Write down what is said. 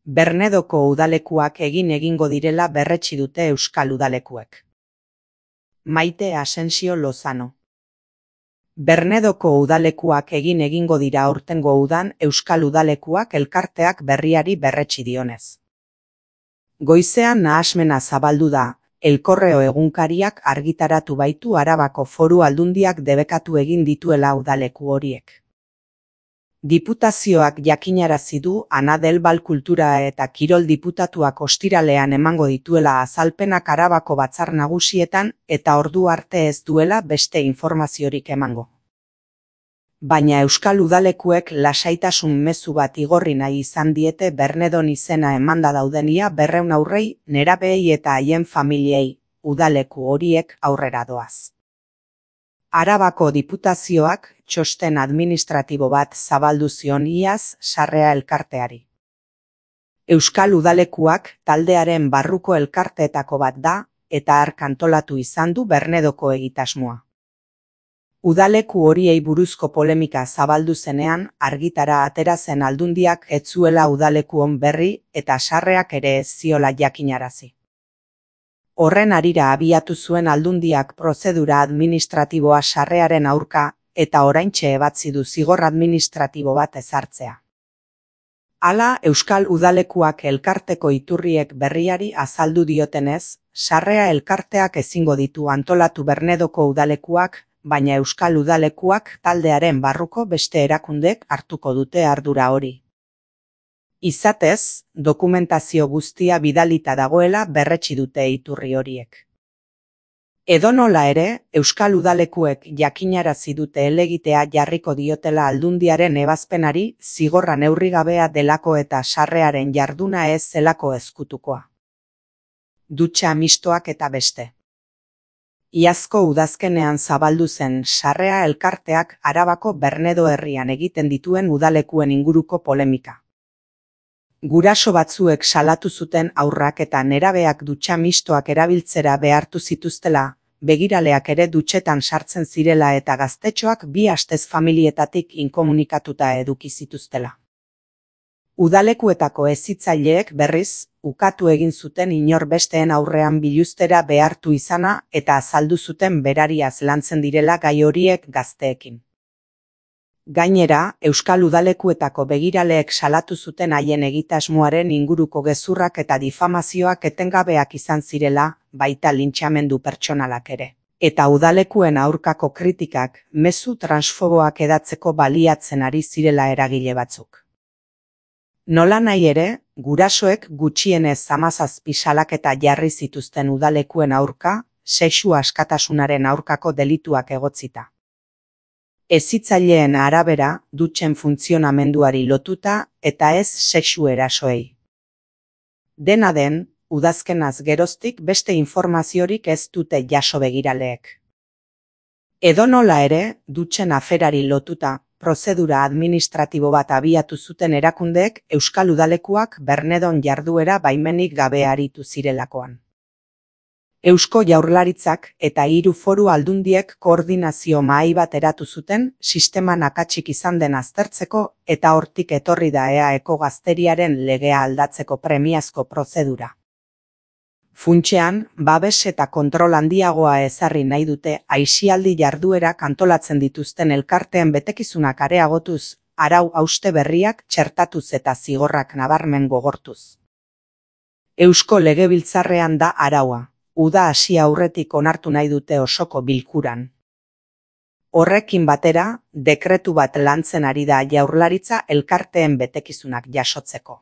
Bernedoko udalekuak egingo direla berretsi dute euskal udalekuek. Maite Asensio Lozano. Bernedoko udalekuak egingo dira aurtengo udan euskal udalekuak elkarteak berriari berretsi dionez. Goizean nahasmena zabaldu da, El Correo egunkariak argitaratu baitu Arabako Foru Aldundiak debekatu egin dituela udaleku horiek. Diputazioak jakinarazi du Ana del Val Kultura eta Kirol diputatuak ostiralean emango dituela azalpenak Arabako batzar nagusietan eta ordu arte ez duela beste informaziorik emango. Baina euskal udalekuek lasaitasun mezu bat igorri nahi izan diete Bernedon izena emanda daudenia 200 haurrei, nerabeei eta haien familiei, udaleku horiek aurrera doaz. Arabako diputazioak txosten administratibo bat zabaldu zion iaz Sarrea elkarteari. Euskal udalekuak taldearen barruko elkarteetako bat da eta hark antolatu izan du Bernedoko egitasmoa. Udaleku horiei buruzko polemika zabaldu zenean argitara atera zen Aldundiak ez zuela udalekuon berri eta Sarreak ere ez ziola jakinarazi. Horren harira abiatu zuen Aldundiak prozedura administratiboa Sarrearen aurka eta oraintxe ebatzi du zigor administratibo bat ezartzea. Hala, euskal udalekuak elkarteko iturriek berriari azaldu diotenez, Sarrea elkarteak ezingo ditu antolatu Bernedoko udalekuak, baina euskal udalekuak taldearen barruko beste erakundek hartuko dute ardura hori. Izatez, dokumentazio guztia bidalita dagoela berretsi dute iturri horiek. Edonola ere, euskal udalekuek jakinarazi dute helegitea jarriko diotela Aldundiaren ebazpenari zigorra neurrigabea delako eta Sarrearen jarduna ez zelako ezkutukoa. Dutxa mistoak eta beste. Iazko udazkenean zabaldu zen Sarrea elkarteak Arabako Bernedo herrian egiten dituen udalekuen inguruko polemika. Guraso batzuek salatu zuten haurrak eta nerabeak dutxa mistoak erabiltzera behartu zituztela, begiraleak ere dutxetan sartzen zirela eta gaztetxoak 2 astez familietatik inkomunikatuta eduki zituztela. Udalekuetako hezitzaileek berriz, ukatu egin zuten inor besteen aurrean biluztera behartu izana eta azaldu zuten berariaz lantzen direla gai horiek gazteekin. Gainera, euskal udalekuetako begiraleek salatu zuten haien egitasmoaren inguruko gezurrak eta difamazioak etengabeak izan zirela, baita lintxamendu pertsonalak ere. Eta udalekuen aurkako kritikak, mezu transfoboak edatzeko baliatzen ari zirela eragile batzuk. Nola nahi ere, gurasoek gutxienez 17 salaketa jarri zituzten udalekuen aurka, sexu askatasunaren aurkako delituak egotzita. Hezitzaileen arabera, dutxen funtzionamenduari lotuta eta ez sexu erasoei. Dena den, udazkenaz geroztik beste informaziorik ez dute jaso begiraleek. Edonola ere, dutxen aferari lotuta, prozedura administratibo bat abiatu zuten erakundeek euskal udalekuak Bernedon jarduera baimenik gabe aritu zirelakoan. Eusko Jaurlaritzak eta 3 foru aldundiek koordinazio mahai bat eratu zuten sisteman akatsik izan den aztertzeko eta hortik etorri da EAeko gazteriaren legea aldatzeko premiazko prozedura. Funtsean, babes eta kontrol handiagoa ezarri nahi dute aisialdi jarduerak antolatzen dituzten elkarteen betekizunak areagotuz, arau hauste berriak txertatuz eta zigorrak nabarmen gogortuz. Eusko Legebiltzarrean da araua. Uda hasi aurretik onartu nahi dute osoko bilkuran. Horrekin batera, dekretu bat lantzen ari da Jaurlaritza elkarteen betekizunak jasotzeko.